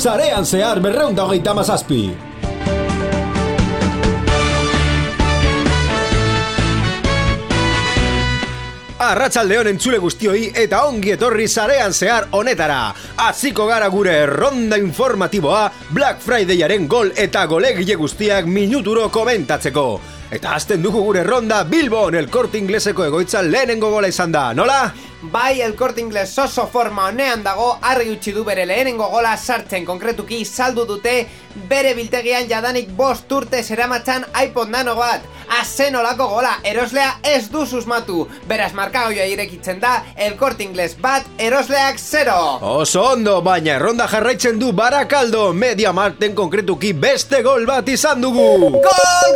Sarean zehar 237. Arratsaldeon entzule guztioi eta ongi etorri Sarean zehar honetara. Hasiko gara gure ronda informatiboa Black Fridayaren gol eta golegile guztiak minuturo komentatzeko. Eta hasten dugu gure ronda Bilbon El Corte Ingleseko egoitzan lehenengo gola izan da, nola? Bai, El Corte Inglés oso forma honean dago, argi utzi du bere lehenengo gola sartzen, konkretuki saldu dute bere biltegian jadanik 5 urte zeramatzan iPod Nano bat. Azen olako gola, eroslea ez du susmatu. Beraz markagoia irekitzen da, El Corte Inglés bat, erosleak 0. Oso ondo, baina erronda jarraitzen du Barakaldo. MediaMarkten konkretuki beste gol bat izan dugu. Gol,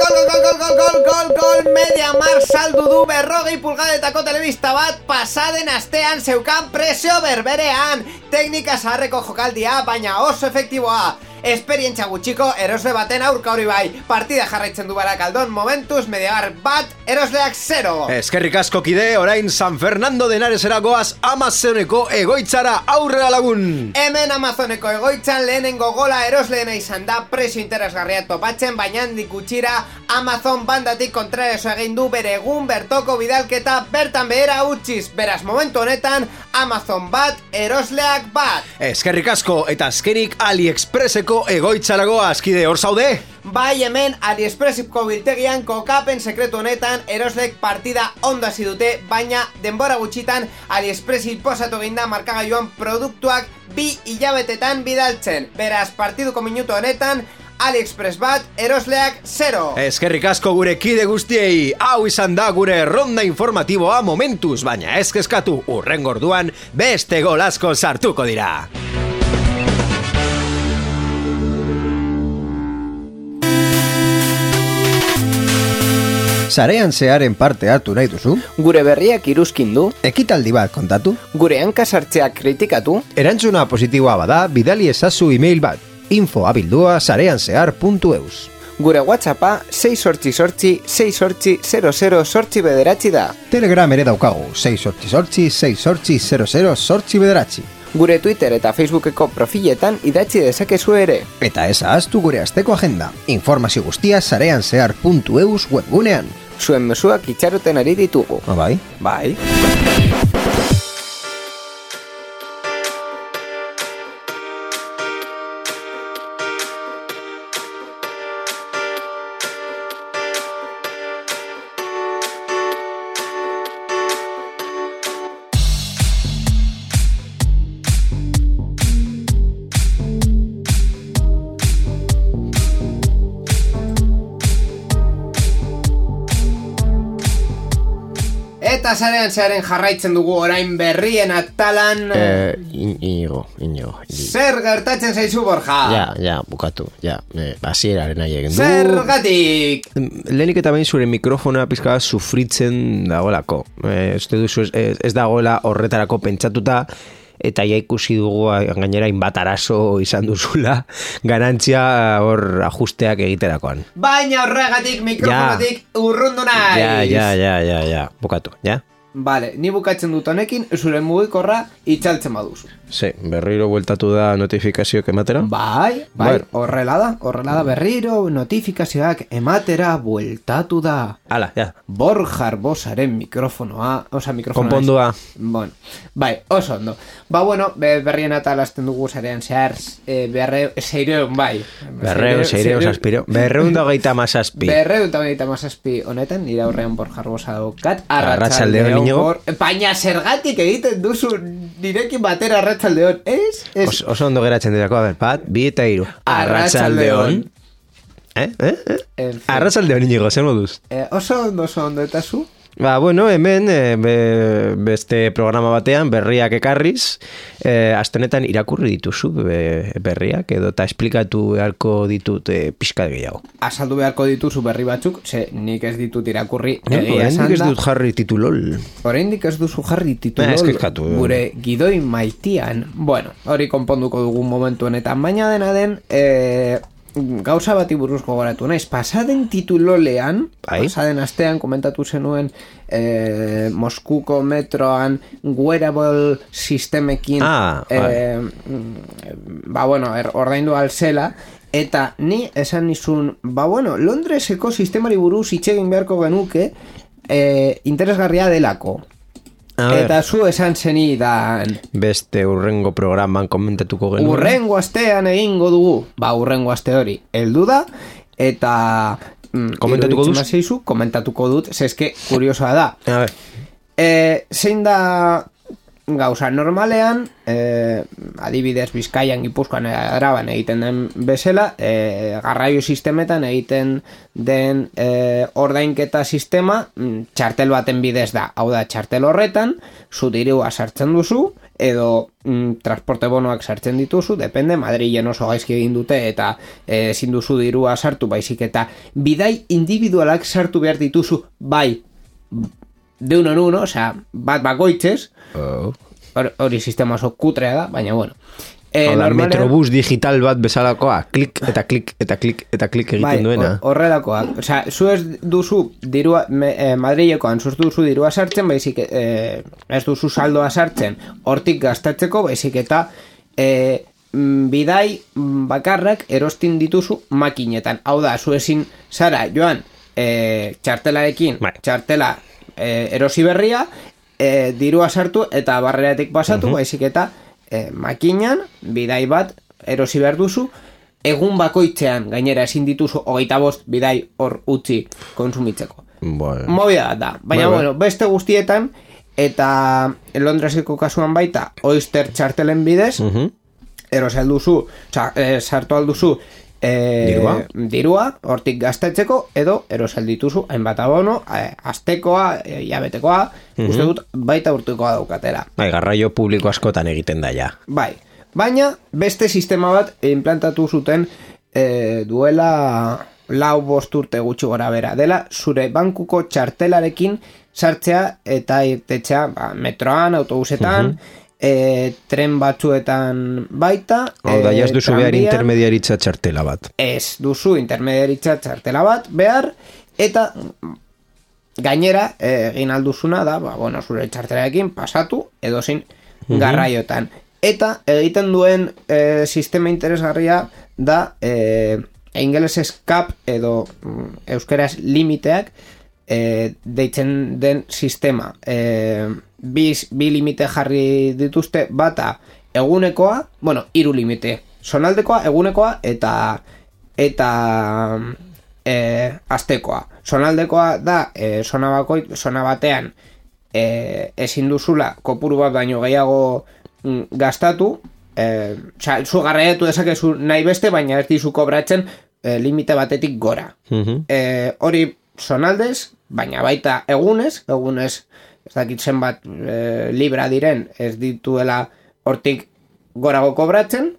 MediaMarkt saldu du 40 pulgadetako telebista bat pasaden astean zeukan presio berberean. Teknika zaharreko jokaldia, baina oso efektiboa. Esperientzia gutxiko erosle baten aurka hori bai. Partida jarraitzen du Barakaldon, momentuz MediaMarkt bat, erosleak 0. Eskerrik asko kide, orain San Fernando de Henaresera goaz Amazoneko egoitzara, aurrera lagun. Hemen Amazoneko egoitzan lehenengo gola erosleena izan da, presio interesgarria topatzen, baina handik gutxira Amazon bandatik kontrareso egin du bere egun bertoko bidalketa bertan behera utziz. Beraz momentu honetan Amazon bat, erosleak bat. Eskerrik asko eta azkenik AliExpresseko egoitzarago azkide hor zaude? Bai, hemen AliExpressiko biltegian kokapen sekretu honetan eroslek partida ondo hasi dute, baina denbora gutxitan AliExpressi posatu eginda markagailuan produktuak 2 hilabetetan bidaltzen. Beraz, partiduko minutu honetan AliExpress bat, erosleak 0. Eskerrik asko gure kide guztiei. Hau izan da gure ronda informatiboa momentuz, baina ez kezkatu, urrengo orduan beste gol asko sartuko dira. Sarean zearen parte hartu nahi duzu? Gure berriak iruzkin du? Ekitaldi bat kontatu? Gure hankasartzeak kritikatu? Erantzuna positiboa bada, bidali ezazu email bat, info@sareanzehar.eus. Gure WhatsAppa 688-688-00 da. Telegram ere daukagu, 688-688-00 Gure Twitter eta Facebookeko profiletan idatzi dezakezu ere. Eta ez ahaztu gure asteko agenda. Informazio guztia sareanzehar.eus webgunean. Zuen mezuak itxaroten ari ditugu. Bai? Bai. Eta Sarean zearen jarraitzen dugu orain berrien atalan. Inigo. Zer gertatzen zaizu, Borja? Ja, bukatu. Hasieraren nahi egin du. Zergatik? Lehenik eta behin zure mikrofona pizka sufritzen dagoelako. Uste duzu ez dagoela horretarako pentsatuta. Eta ja ikusi dugu gainera inbat arazo izan duzula garantzia hor ajusteak egiterakoan. Baina horregatik mikrofonatik urrundu naiz. Ja, bukatu, ja? Vale, ni bukatzen dut honekin, zure mugikorra itzaltzen baduzu. Berriro bueltatu da notifikazioak ematera? Bai, horrela da berriro notifikazioak ematera bueltatu da. Hala, ja. Borja Arbosaren mikrofonoa, konpondua. Bueno, bai, oso ondo. Berrien atalazten dugu Sarean zehar, seireun, bai. Berreun zazpiro. 237 honetan, nire aurrean Borja Arbosa daukat. Arratsaldeon. Baina zergatik egiten duzu nirekin batera arratsaldeon, ez? Oso ondo geratzen dirako, bat, 2 eta 3. Arratsaldeon. Arratsaldeon Inigo, zer moduz? Oso ondo, eta zu? Hemen beste programa batean berriak ekarriz, astenetan irakurri dituzu berriak edo eta esplikatu beharko ditut pixka gehiago. Azaldu beharko dituzu berri batzuk, nik ez ditut irakurri. Oraindik ez dut jarri titulol. Oraindik ez duzu jarri titulol. Gure gidoi maitian. Hori konponduko dugun momentu honetan, baina dena den gauza bati buruz gogoratu naiz, pasaden titulolean, Bai. pasaden astean komentatu zenuen Moskuko metroan wearable sistemekin ordaindu alzela, eta ni esan nizun, Londreseko sistemari buruz hitz egin beharko genuke interesgarria delako. Eta zu esan zenidan beste urrengo programan komentatuko genuen. Urrengo astean egingo dugu. Urrengo aste hori heldu da. Eta komentatuko duz? Komentatuko dut. Zeske kuriosoa da. A ver. Zein da gauza normalean, adibidez Bizkaian, Gipuzkoan, Araban egiten den bezala, garraio sistemetan egiten den ordainketa sistema txartel baten bidez da. Hau da, txartel horretan zu dirua sartzen duzu edo transporte bonoak sartzen dituzu, depende, Madrilen oso gaizki egin dute eta ezin duzu dirua sartu, baizik eta bidai individualak sartu behar dituzu, bai de uno en uno, osea, bat bakoitzez. Hori sistema oso kutrea da, baina bueno. Metrobus digital bat bezalakoa, klik eta klik eta klik eta klik egiten duena. Horrelakoa. Osea, zu ez duzu dirua, Madrilekoan zuz duzu dirua sartzen, baizik ez duzu saldoa sartzen hortik gastatzeko, baizik eta bidai bakarrak erostin dituzu makinetan. Hau da, zu ezin zara joan txartelarekin, txartela erosi berria, dirua sartu eta barreratik pasatu, baizik eta makinan bidai bat erosi behar duzu, egun bakoitzean gainera ezin dituzu 25 bidai hor utzi konsumitzeko. Movida da, baina beste guztietan, eta Londreseko kasuan baita Oyster txartelen bidez, erosi alduzu, sartu alduzu dirua hortik gastatzeko, edo erosal dituzu hainbat abono, astekoa, hilabetekoa, uste dut baita urtekoa daukatera. Garraio publiko askotan egiten da ja. Bai, baina beste sistema bat implantatu zuten duela 4-5 urte gutxi gora bera, dela zure bankuko txartelarekin sartzea eta irtetzea metroan, autobusetan, tren batzuetan baita. Hau da, jaz duzu behar intermediaritza txartela bat. Ez duzu intermediaritza txartela bat behar, eta gainera egin alduzuna da, zure txartelarekin pasatu edozin garraiotan. Eta egiten duen sistema interesgarria da ingelesez cap edo euskeraz limiteak deitzen den sistema. Bi limite jarri dituzte, bata egunekoa, 3 limite, zonaldekoa, egunekoa eta astekoa. Zonaldekoa da zona batean ezin duzula kopuru bat baino gehiago gastatu, zu garraiatu dezakezu nahi beste, baina ez dizu kobratzen limite batetik gora. Hori zonaldez, baina baita egunez ez dakit zenbat libra diren, ez dituela hortik gorago kobratzen,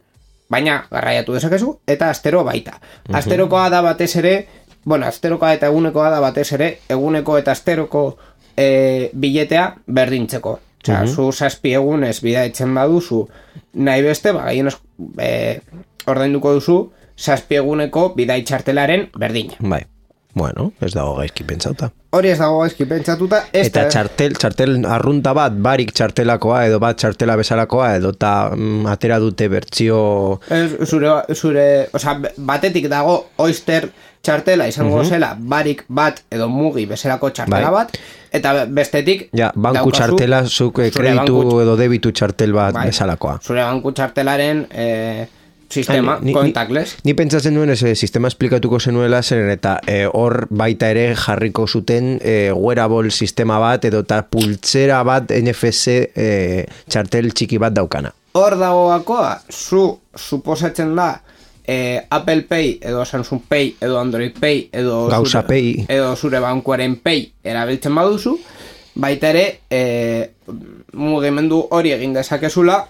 baina garraiatu dezakezu, eta astero baita. Asterokoa da batez ere, asterokoa eta egunekoa da batez ere, eguneko eta asteroko biletea berdintzeko. Osea, zu 7 egunez bidaitzen baduzu nahi beste, gainez ordainduko duzu 7 eguneko bidai txartelaren berdina. Bai. Bueno, ez dago gaizki pentsatuta. Hori ez dago gaizki pentsatuta. Eta txartel arrunta bat, barik txartelakoa, edo bat txartela bezalakoa, edo eta atera dute bertsio... batetik dago Oyster txartela izango zela, barik bat edo mugi bezalako txartela bat, eta bestetik... banku txartela, zuk kreditu edo debitu txartel bat bezalakoa. Zure banku txartelaren... sistema, contactless. Ni pentsatzen duen sistema esplikatuko zenuela zen eta hor baita ere jarriko zuten wearable sistema bat edo eta pultzera bat NFC txartel txiki bat daukana. Hor dagoakoa, suposatzen da Apple Pay edo Samsung Pay edo Android Pay edo Gauza Pay edo zure bankuaren Pay erabiltzen baduzu, baita ere mugimendu hori egin dezakezula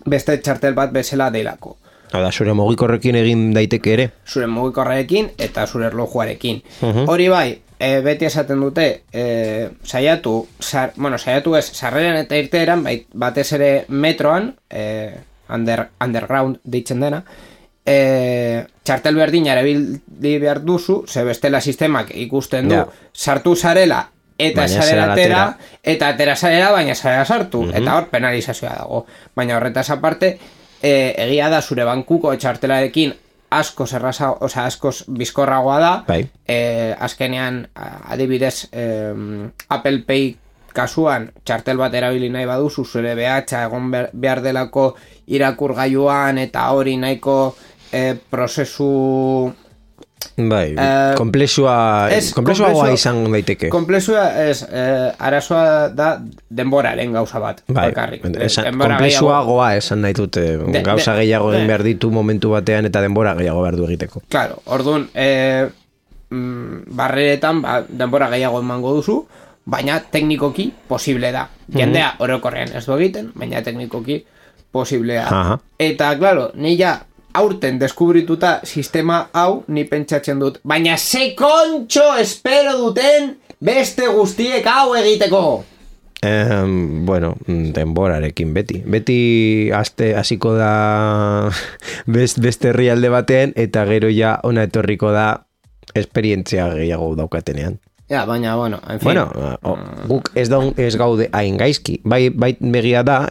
beste txartel bat bezala delako. Da, zure mugikorrekin egin daiteke ere? Zure mugikorrekin eta zure erlojuarekin. Hori bai, beti esaten dute, saiatu ez, sarreran eta irteeran, batez ere metroan, underground deitzen dena, txartel berdin erabili behar duzu, ze bestela sistemak ikusten du, sartu zarela, eta zarela atera, eta atera zarela, baina zarela sartu, eta hor penalizazioa dago. Baina horretaz aparte, egia da zure bankuko txartelarekin askoz erraza, osea, askoz bizkorragoa da, azkenean, adibidez, Apple Pay kasuan, txartel bat erabili nahi baduzu, zure behatxa egon behar delako irakurgailuan, eta hori nahiko prozesu... Bai, komplexuagoa izan daiteke. Komplexua arazoa da denboraren gauza bat. Bai, komplexuagoa esan nahi dute. Gauza gehiago egin behar ditu momentu batean eta denbora gehiago behar du egiteko. Claro, orduan, barreretan denbora gehiago emango duzu, baina teknikoki posible da. Jendea orokorrean ez du egiten, baina teknikoki posiblea. Eta, claro, ni ja aurten deskubrituta sistema hau ni pentsatzen dut, baina ze kontxo espero duten beste guztiek hau egiteko? Bueno, denborarekin beti hasiko da beste herrialde batean, eta gero ja ona etorriko da esperientzia gehiago daukatenean. Ja, baina, bueno, en fin. Bueno, guk ez gaude hain gaizki. Bai begia da,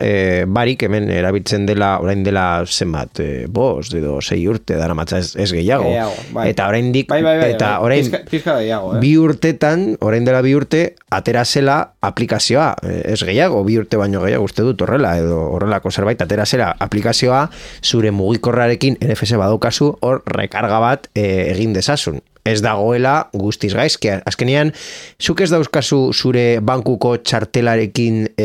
barik hemen erabiltzen dela, orain dela zenbat, 5 edo 6 urte dara matza ez gehiago. Bai. Eta oraindik, eta orain pizka gehiago, 2 urtetan, orain dela 2 urte, atera zela aplikazioa, ez gehiago, 2 urte baino gehiago uste dut horrela, edo horrelako zerbait, atera zela aplikazioa, zure mugikorrarekin NFC badaukazu, hor rekarga bat egin dezasun. Ez dagoela guztiz gaizki. Azkenean, zuk ez dauzkazu zure bankuko txartelarekin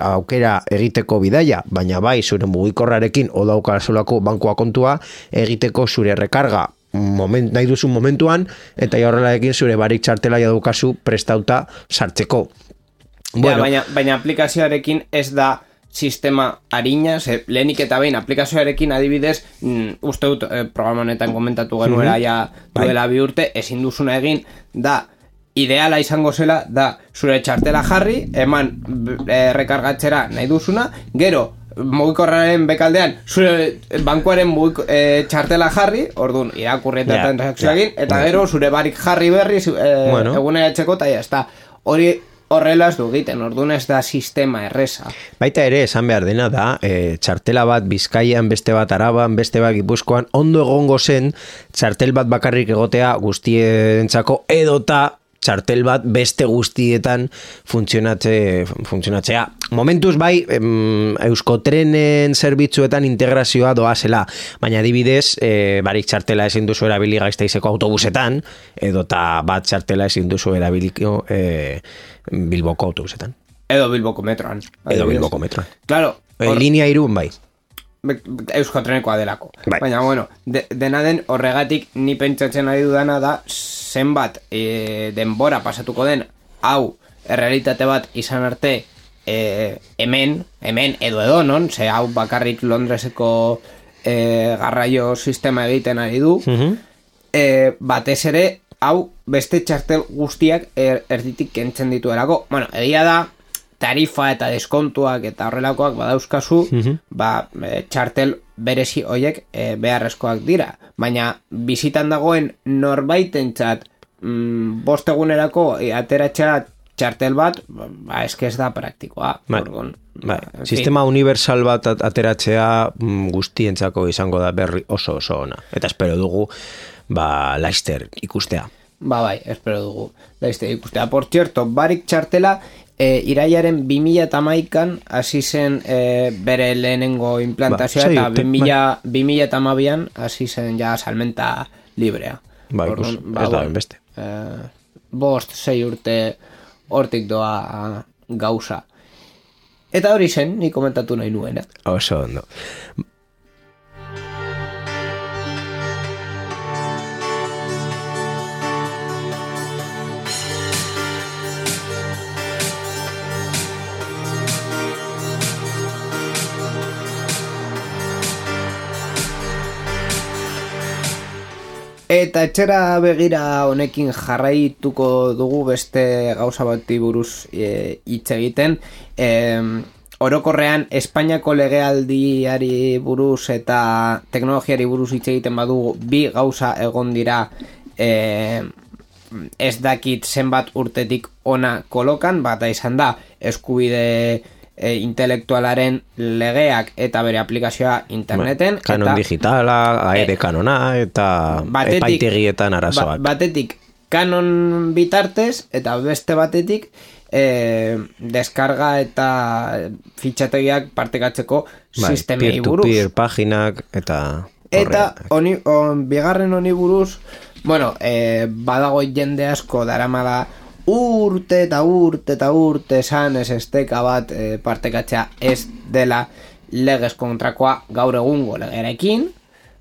aukera egiteko bidaia, baina bai zure mugikorrarekin o daukazulako bankua kontua egiteko zure rekarga nahi duzun momentuan, eta horrelarekin zure barik txartela daukazu prestauta sartzeko. Bueno, baina aplikazioarekin ez da sistema harina, lehenik eta behin aplikazioarekin adibidez, uste dut programa honetan komentatu genuela ja duela 2 urte, ezin duzuna egin, da ideala izango zela, da zure txartela jarri, eman rekargatzera nahi duzuna, gero mugikorraren bekaldean zure bankuaren txartela jarri, orduan irakurri eta transakzioa egin, eta gero zure barik jarri berri eguneratzeko, eta jazta, hori horrela ez du egiten, orduan ez da sistema erreza. Baita ere, esan behar dena da, txartela bat Bizkaian, beste bat Araban, beste bat Gipuzkoan, ondo egongo zen, txartel bat bakarrik egotea guztientzako, edota txartel bat beste guztietan funtzionatzea. Momentuz bai, Euskotrenen zerbitzuetan integrazioa doazela, baina adibidez, barik txartela ezin duzu erabili Gasteizeko autobusetan, edota bat txartela ezin duzu erabiliko Bilboko autobusetan. Edo Bilboko metroan. Claro. Linea 3 bai. Euskotrenekoa delako. Baina, bueno, dena den horregatik ni pentsatzen ari dudana da zenbat denbora pasatuko den hau errealitate bat izan arte hemen edo non, ze hau bakarrik Londreseko garraio sistema egiten ari du, batez ere hau beste txartel guztiak erditik kentzen dituelako. Bueno, egia da tarifa eta deskontuak eta horrelakoak badauzkazu, txartel berezi hoiek beharrezkoak dira. Baina bizitan dagoen norbaitentzat 5 egunerako ateratzea txartel bat, eske ez da praktikoa. Sistema universal bat ateratzea guztientzako izango da berri oso ona. Eta espero dugu Laster ikustea. Bai, espero dugu Laster ikustea. Por cierto, barik txartela irailaren 2011an hasi zen bere lehenengo implantazioa, eta 2012an hasi zen ja salmenta librea. Ez da beste. 5-6 urte hortik doa gauza. Eta hori zen, ni komentatu nahi nuena. Oso ondo. Eta etxera begira honekin jarraituko dugu beste gauza bati buruz hitz egiten. orokorrean Espainiako legealdiari buruz eta teknologiari buruz hitz egiten badugu bi gauza egon dira ez dakit zenbat urtetik ona kolokan, bata izan da eskubide intelektualaren legeak eta bere aplikazioa interneten. Kanon eta, digitala, aire kanona eta epaitegietan arazoak. Batetik kanon bitartez eta beste batetik deskarga eta fitxategiak partekatzeko sistemei buruz. Peer-to-peer paginak eta... Eta bigarren honi buruz, bueno, badago jende asko daramala urte esan ez esteka bat partekatzea ez dela legez kontrakoa gaur egungo legerekin.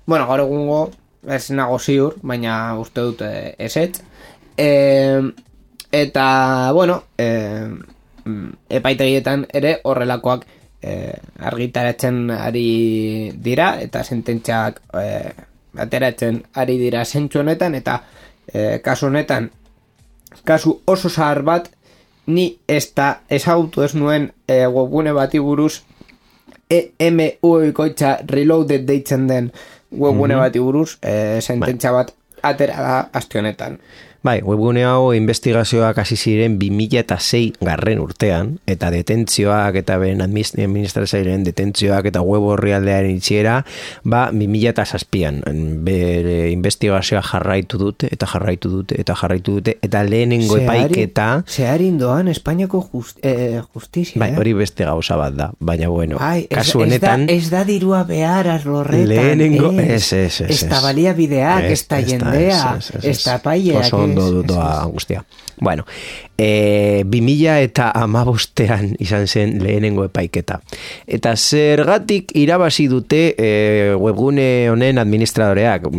Bueno, gaur egungo ez nago ziur, baina uste dut ezetz. Eta, bueno, epaitegietan ere horrelakoak argitaratzen ari dira eta sententziak ateratzen ari dira zentzu honetan eta kasu honetan kasu oso zahar bat ni ezagutu ez nuen webgune bati buruz EMU-bikoitza reloaded deitzen den webgune bati buruz sententzia bat atera da aste honetan. Bai, webgune hau investigazioak hasi ziren 2006 garren urtean, eta detentzioak eta beren administrazioaren detentzioak eta web orrialdearen itxiera, 2007an bere investigazioa jarraitu dute, eta lehenengo epaiketa... Zeharin doan Espainiako justizia. Bai, hori beste gauza bat da, baina bueno, kasu honetan... Ez da dirua behar arlorretan, lehenengo, ez da balia bideak, ez da jendea, ez da paileak, doa guztia. Bueno, 2015an izan zen lehenengo epaiketa. Eta zergatik irabazi dute webgune honen administradoreak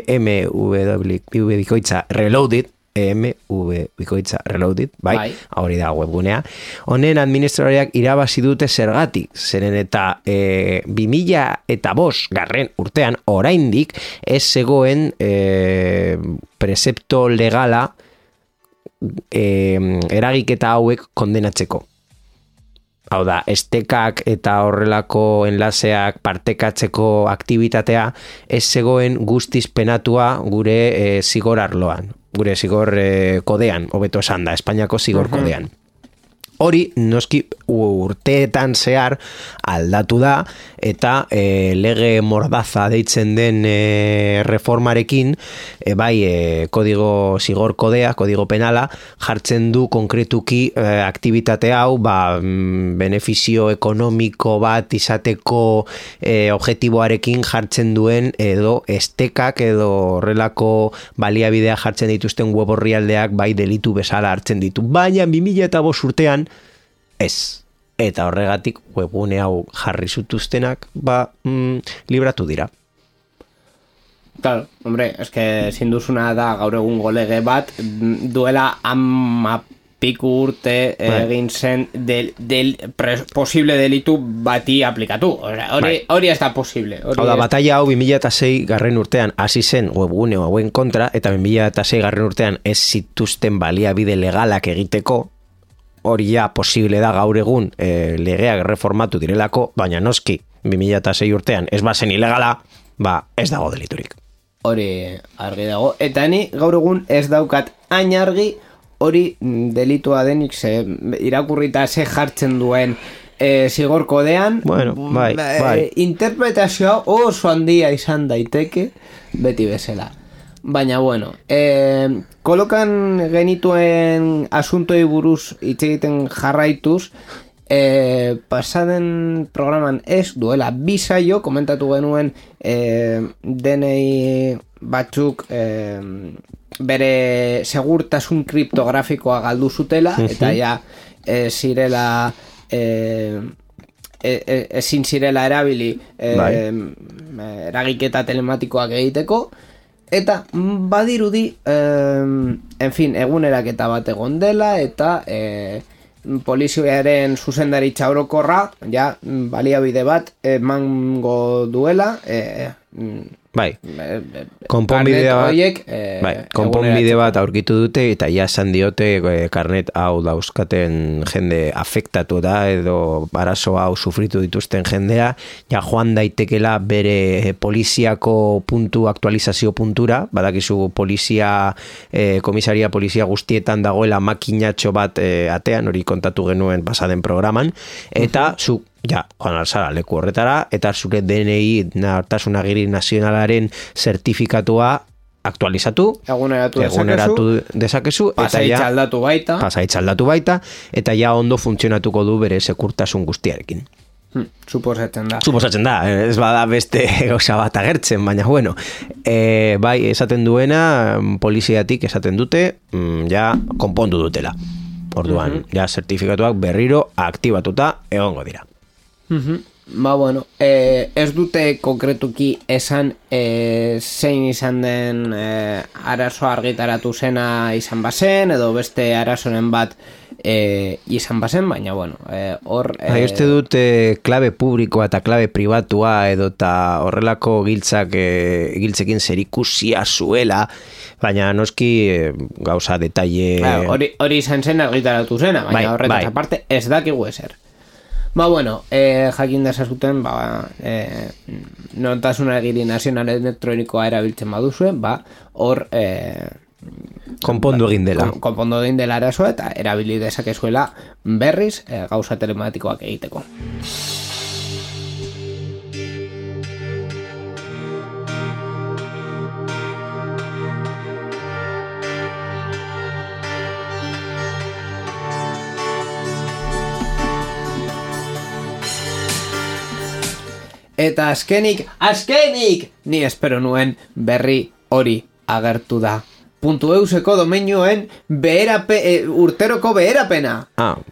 EMV-bikoitza Reloaded, EMV-bikoitza Reloaded, bai, hori da webgunea. Honen administradoreak irabazi dute zergatik, zeren eta 2005 garren urtean oraindik ez zegoen precepto legala eragiketa hauek kondenatzeko. Hau da, estekak eta horrelako enlaseak partekatzeko aktibitatea ez zegoen guztiz penatua gure zigor arloan, gure zigor kodean, hobeto esan da, Espainiako zigor kodean. Hori, noski urteetan zehar aldatu da eta lege mordaza deitzen den reformarekin zigor kodea, kodigo penala jartzen du konkretuki aktibitate hau benefizio ekonomiko bat izateko objektiboarekin jartzen duen edo estekak edo horrelako baliabidea jartzen dituzten web orrialdeak delitu bezala hartzen ditu. Baina 2005 urtean ez. Eta horregatik webgune hau jarri zutuztenak libratu dira. Claro, hombre, eske ezin duzuna da gaur egungo lege bat duela 10 urte egin zen posible delitu bati aplikatu. Hori ez da posible. Hau da, batalla hau 2006 garren urtean hasi zen webgune hauen kontra eta 2006 garren urtean ez zituzten baliabide legalak egiteko. Hori ja posible da gaur egun legeak reformatu direlako, baina noski 2006 urtean ez bazen ilegala, ez dago deliturik. Hori argi dago. Eta ni gaur egun ez daukat hain argi hori delitua denik irakurrita ze jartzen duen zigor kodean. Bueno, bai. Interpretazioa oso handia izan daiteke beti bezala. Baina, bueno, kolokan genituen asuntoi buruz hitz egiten jarraituz, pasaden programan ez duela bisaio, komentatu genuen DNI batzuk bere segurtasun kriptografikoa galdu zutela, eta ja zirela... ezin zirela erabili eragiketa telematikoak egiteko. Eta badirudi, eguneraketa bat egon dela eta polizioaren zuzendaritza orokorra, baliabide bat emango duela Bai, konponbide bat aurkitu dute eta ja esan diote karnet hau dauzkaten jende afektatu da edo arazo hau sufritu dituzten jendea, ja joan daitekela bere poliziako aktualizazio puntura, badakizu komisaria polizia guztietan dagoela makinatxo bat atean, hori kontatu genuen pasaden programan, eta zu ja, joan alzara leku horretara, eta zure DNI, Nortasun Agiri Nazionalaren zertifikatua aktualizatu, eguneratu dezakezu, pasaitz aldatu baita, eta ja ondo funtzionatuko du bere sekurtasun guztiarekin. Suposatzen da. Ez bada beste gauza bat agertzen, baina bueno, bai, esaten duena, poliziatik esaten dute, ja, konpondu dutela. Orduan, ja, zertifikatuak berriro aktibatuta egongo dira. Ba, bueno, ez dute konkretuki esan zein izan den arazo argitaratu zena izan bazen, edo beste arazoren bat izan bazen, baina, bueno, hor... Uste dut klabe publikoa eta klabe pribatua edo eta horrelako giltzekin zerikusia zuela, baina noski gauza detalle... Hori izan zen argitaratu zena, baina horretaz aparte ez dakigu ezer. Ba, bueno, jakin dezazuten, Nortasun Agiri Nazional elektronikoa erabiltzen baduzue, hor... konpondu egin dela. Konpondu egin dela arazoa eta erabili dezakezuela berriz gauza telematikoak egiteko. Eta azkenik, ni espero nuen berri hori agertu da. .euseko domeinuen urteroko beherapena.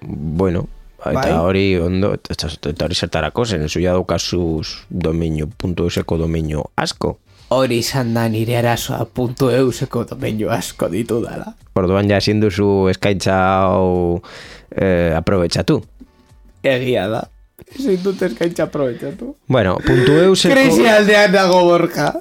Bueno, eta hori ondo, eta hori zertarako zen, zu ja daukazuz .euseko domeinu asko. Hori izan da nire arazoa .euseko domeinu asko ditu dala. Orduan ja ezin duzu eskaintza hau aprobetxatu. Egia da. Ezin dut eskaintza aprobetxatu. Bueno, .euseko... Krisi aldean dago Borja.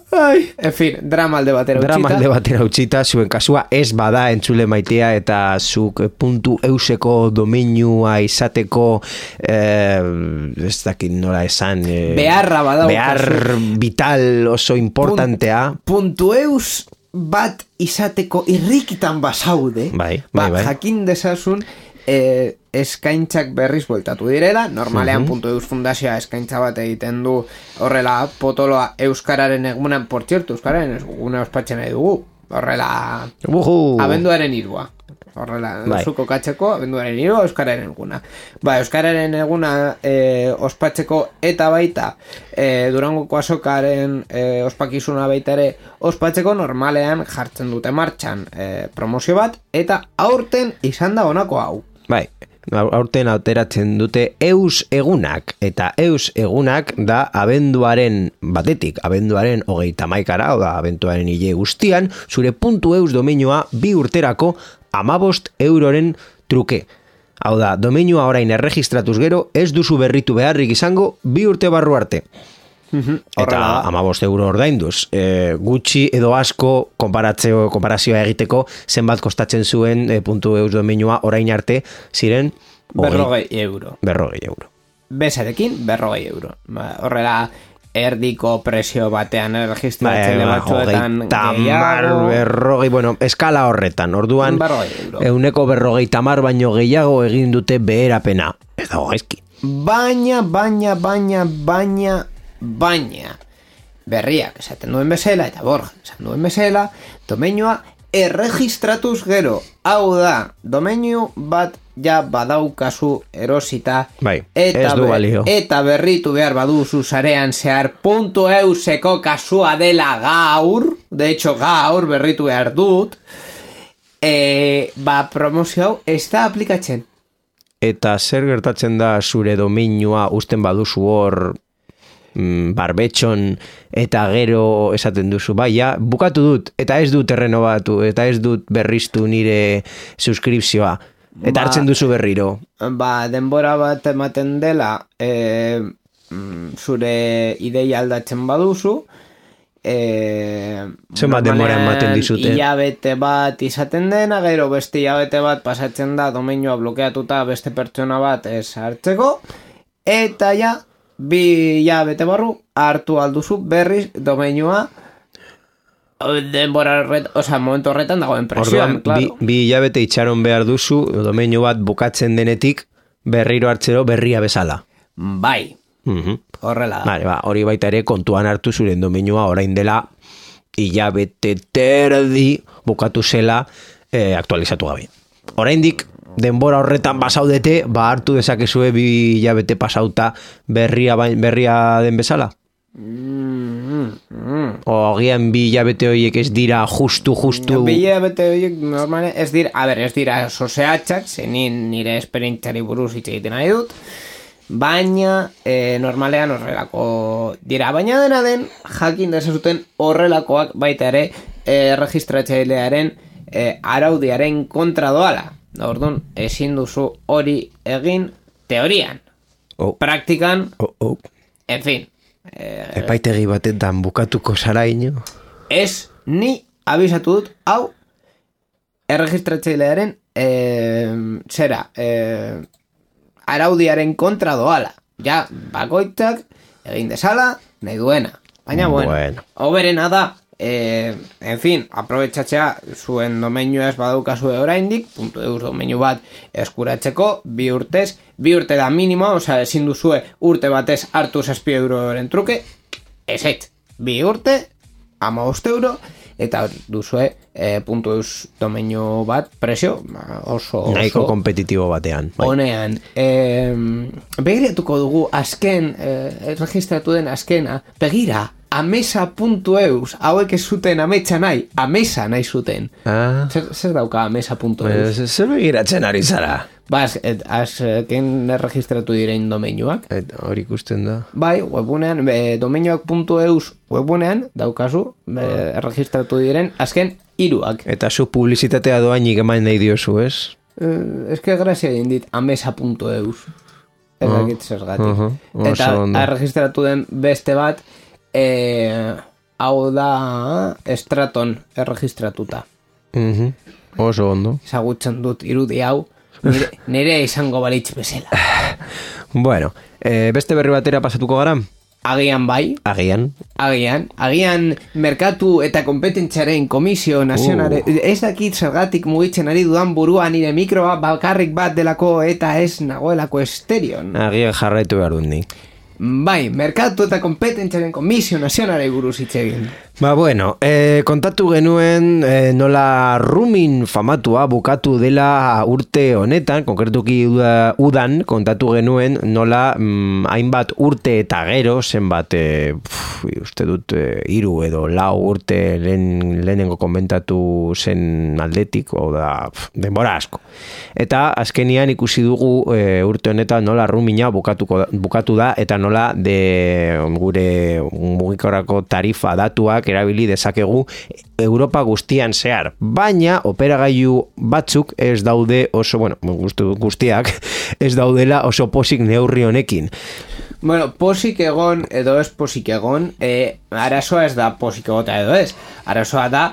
En fin, drama alde batera utxita. Zuen kasua ez bada entzule maitea eta zuk .euseko domeinua izateko ez dakit nola esan beharra badau. Behar vital oso importantea. .eus bat izateko irrikitan basaude. Bai. Jakin dezazun eskaintzak berriz bueltatu direla, normalean .eus fundazioa eskaintza bat egiten du horrela potoloa euskararen egunan, por cierto, euskararen eguna ospatzen nahi dugu, horrela abenduaren 3. Horrela, zuko katzeko, abenduaren 3, euskararen eguna. Euskararen eguna ospatzeko eta baita Durangoko azokaren ospakizuna baita ere ospatzeko normalean jartzen dute martxan promozio bat, eta aurten izan da honako hau. Aurten auteratzen dute eus egunak, eta eus egunak da abenduaren batetik, abenduaren 31, oda abenduaren hile guztian, zure .eus domeinua 2 urterako 15 euroren truke. Hau da, domeinua orain erregistratuz gero, ez duzu berritu beharrik izango 2 urte barru arte. Eta 15 euro ordainduz. Gutxi edo asko konparazioa egiteko zenbat kostatzen zuen .eus domeinua orain arte ziren 40 euro. 40 euro. Bezarekin 40 euro. Horrela erdiko presio batean registratzen batzuetan gehiago. Bueno, eskala horretan. Orduan, 150 baino gehiago egin dute beherapena. Ez dago gaizki. Baina berriak esaten duen bezala eta Borja esan duen bezala, domeinua erregistratuz gero. Hau da, domeinu bat ja badaukazu erosita eta berritu behar baduzu sarean zehar .euseko kasua dela gaur, de hecho gaur berritu behar dut, promozio hau ez da aplikatzen. Eta zer gertatzen da zure domeinua usten baduzu hor barbetxon eta gero esaten duzu, bukatu dut eta ez dut errenobatu eta ez dut berriztu nire suskripzioa eta hartzen duzu berriro. Denbora bat ematen dela zure ideia aldatzen baduzu Zenbat denbora ematen dizute? Hilabete bat izaten dena, gero beste hilabete bat pasatzen da domeinua blokeatuta beste pertsona bat hartzeko, eta ja, 2 hilabete barru hartu alduzu berriz domeinua denbora momentu horretan dagoen presioan, claro. 2 hilabete itxaron behar duzu domeinu bat bukatzen denetik berriro hartzero berria bezala. Bai. Horrela da. Vale, hori baita ere kontuan hartu zuren domeinua orain dela hilabete terdi bukatu zela aktualizatu gabe. Oraindik denbora horretan basaudete, hartu dezakezue 2 hilabete pasauta berria den bezala? Ogian 2 hilabete horiek ez dira justu 2 hilabete horiek normalen ez dira soseatxak, nire esperientzari buruz hitz egiten nahi dut, baina normalean horrelako dira, baina dena den jakin dezazuten horrelakoak baita ere registratzailearen araudiaren kontra doala. Orduan, ezin duzu hori egin teorian, praktikan, en fin. Epaitegi batetan bukatuko zara ino? Ez, ni abisatu dut, hau erregistratzailearen araudiaren kontra doala. Ja, bakoitzak egin dezala, nahi duena. Baina, bueno. Oberena da, en fin, aprobetxatzea zuen domeinua ez badaukazue oraindik, .eus domeinu bat eskuratzeko, 2 urte da minimoa, osea, ezin duzue urte batez hartu 6 euroren truke, ez, 2 urte, 15 euro, eta duzue .eus domeinu bat presio oso nahiko kompetitibo batean. Honean, begiratuko dugu azken registratu den azkena, begira, amesa.eus, hauek ez zuten ametsa nahi, amesa nahi zuten. Zer dauka amesa.eus? Zer begiratzen ari zara? Azken registratu direin domeinuak. Hori ikusten da. Bai, webunean, domeinuak.eus webunean daukazu, registratu diren azken 3. Eta zu publizitatea doainik eman nahi diozu, ez? Ez que grazia dit, amesa.eus. Ez dakit zergatik. Eta registratu den beste bat, hau da Straton erregistratuta. Oso ondo. Ezagutzen dut irudi hau, nire izango balitz bezala. Bueno, beste berri batera pasatuko gara? Agian bai. Agian merkatu eta kompetentziaren komisio nazionale, ez dakit zergatik mugitzen ari dudan burua nire mikroa bakarrik bat delako eta ez nagoelako esterion. Agian jarraitu behar dut ni. Bai, merkatu eta kompetentziaren komisio nazionale buruz hitz egin. Bueno, kontatu genuen nola Rumin famatua bukatu dela urte honetan, konkretuki udan kontatu genuen nola hainbat urte eta gero, zenbat, uste dut 3 edo 4 urte lehenengo komentatu zen aldetik, da, denbora asko. Eta azkenian ikusi dugu urte honetan nola Rumina bukatu da, eta nola gure mugikorrako tarifa datuak erabili dezakegu Europa guztian zehar, baina operagailu batzuk ez daude oso, guztiak ez daudela oso posik neurri honekin. Bueno, posik egon edo ez posik egon, arazoa ez da posik egota edo ez. Arazoa da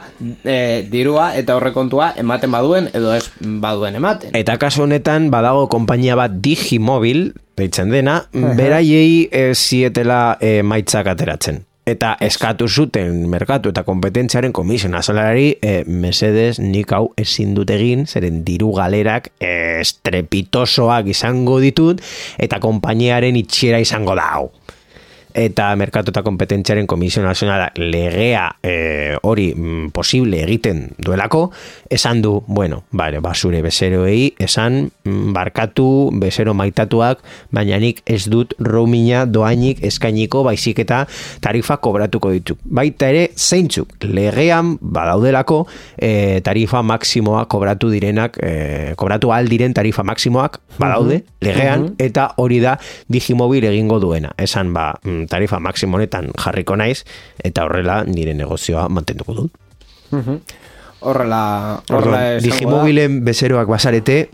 dirua eta horrekontua ematen baduen edo ez baduen ematen. Eta kasu honetan badago konpainia bat Digimobil, deitzen dena, beraiei zietela maitzak ateratzen. Eta eskatu zuten merkatu eta kompetentziaren komisio nazionalari mesedez nik hau ezin dut egin, zeren diru galerak estrepitosoak izango ditut eta konpainiaren itxiera izango da hau. Eta merkatu eta kompetentziaren komisio nazionala legea hori posible egiten duelako, esan du, zure bezeroei, esan barkatu bezero maitatuak, baina nik ez dut roamina doainik eskainiko baizik eta tarifa kobratuko dituk. Baita ere, zeintzuk legean badaudelako tarifa maksimoa kobratu direnak, kobratu aldiren tarifa maksimoak badaude legean, eta hori da Digimobil egingo duena. Esan tarifa maksimo honetan jarriko naiz eta horrela nire negozioa mantenduko dut. Horrela Digimobilen bezeroak bazarete,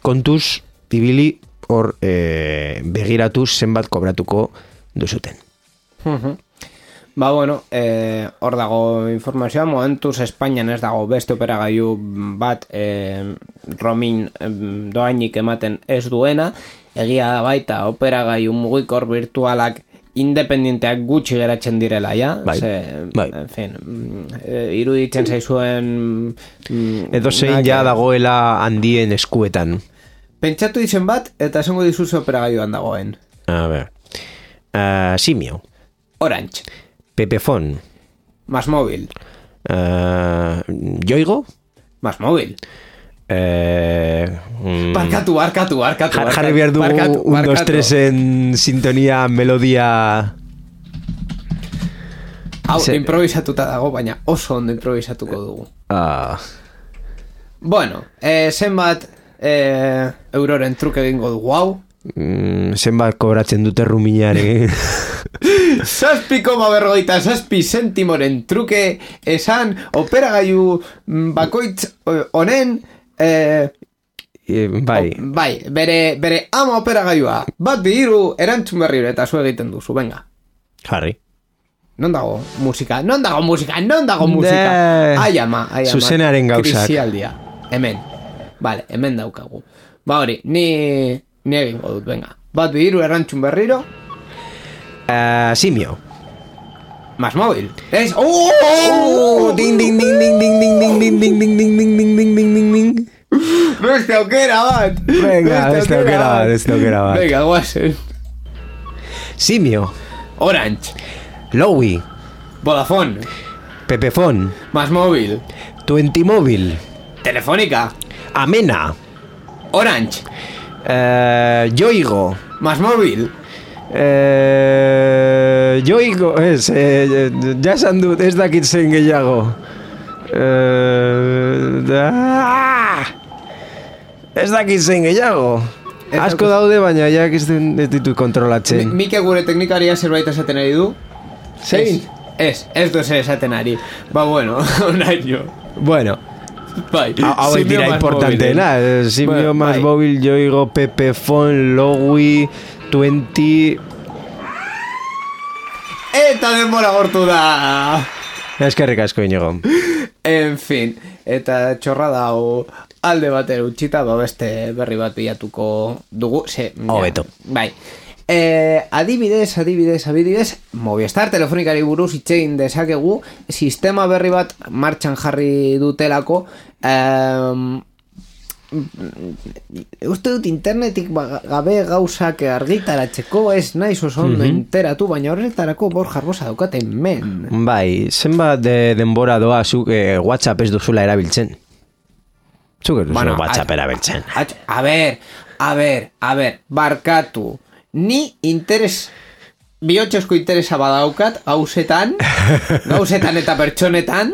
kontuz ibili hor begiratu zenbat kobratuko duzuten. Ba, bueno, hor dago informazioa, momentuz Espainian ez dago beste operagailu bat roaming doainik ematen ez duena, egia da baita operagailu mugikor virtualak independenteak gutxi geratzen direla, ja? Bai. En fin, iruditzen zaizuen... Edo zein ja dagoela handien eskuetan. Pentsatu izen bat, eta esango dizuz operagailuan dagoen. A ver. Simio. Orange. Pepefon. Más móvil. Yoigo. Más móvil. Barkatu. Jarri behar dugu 1, 2, 3 en sintonía, melodia... Hau, improvisatuta dago, baina oso ondo improvisatuko dugu. Bueno, zenbat euroren truke egingo dugu, hau? Zenbat kobratzen dute ruminare. 7,47 zentimoren truke esan operagailu bakoitz honen bai, bere ama operagailua bat bihiru erantzun berriro eta zu egiten duzu, venga. Jarri. Non dago musika? Ai ama. Zuzenaren gauzak. Krisialdia. Hemen. Vale, hemen daukagu. Ba hori, ni egingo dut, venga. Bat bihiru erantzun berriro. Simio. Más móvil. Es... Ding ding ding ding ding ding ding ding ding ding ding ding ding ding ding ding ding. Beste aukera bat. Venga, beste aukera bat. Venga, guasen. Simio. Orange. Lowy. Vodafone. Pepefon. Más móvil. Tuentimóvil. Telefónica. Amena. Orange. Yoigo. Más móvil. Yoigo ez, ja esan dut, ez dakit zein gehiago. Ez dakit zein gehiago. Asko daude, baina jak ez ditut kontrolatzen. Mike gure teknikaria zerbait esaten ari du? Zein? Ez du zer esaten ari. Ba, bueno, onaino. Bueno. Bai. Hau dira importanteena. Simio más móvil, Yoigo, Pepefon, Lowy, 20... Eta denbora gortu da. Eskerrik asko, Inigo. En fin, eta txorrada hau alde batera utxita, beste berri bat bilatuko dugu. Hobeto. Bai. Adibidez, Movistar telefonikari buruz itxegin dezakegu, sistema berri bat martxan jarri dutelako, uste dut internetik gabe gauzak argitaratzeko ez naiz oso ondo enteratu, baina horretarako Borja Arbosa daukaten men. Bai, zenbat denbora doa zuk WhatsApp ez duzula erabiltzen? Zuk ez duzula WhatsApp erabiltzen. A ver, barkatu. Ni interes bihotxezko interesa badaukat gauzetan eta pertsonetan,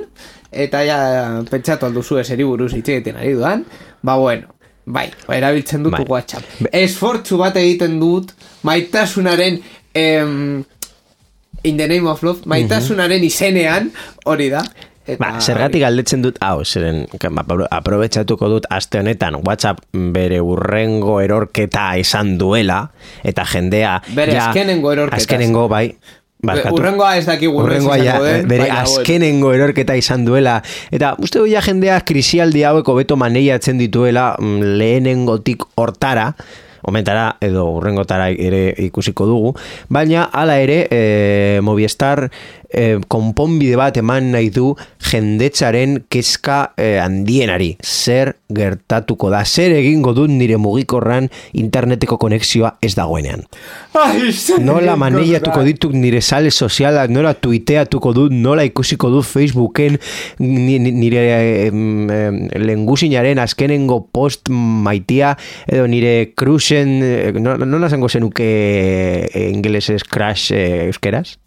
eta ja pentsatu alduzu eseri buruz itxegiten ari dudan. Ba bueno, bai, erabiltzen dut WhatsApp. Esfortzu bat egiten dut maitasunaren in the name of love, maitasunaren izenean, hori da. Zergatik galdetzen dut, zeren aprobetxatuko dut aste honetan WhatsApp bere urrengo erorketa esan duela, eta jendea bere azkenengo erorketa. Azkenengo, bai. Urrengoa ez dakigu bere azkenengo erorketa izan duela, eta uste duia jendea krisialdi haueko beto maneiatzen dituela lehenengotik hortara, omentara edo urrengotara ere ikusiko dugu, baina hala ere Movistar konponbide bat eman nahi du jendetzaren kezka handienari. Zer gertatuko da, zer egingo dut nire mugikorran interneteko konexioa ez dagoenean. Nola maneiatuko ditut nire sale sozialak, nola tuiteatuko dut, nola ikusiko dut Facebooken nire lengusinaren azkenengo post maitia, edo nire cruisen, nola zango zenuke ingelesez crash euskeraz?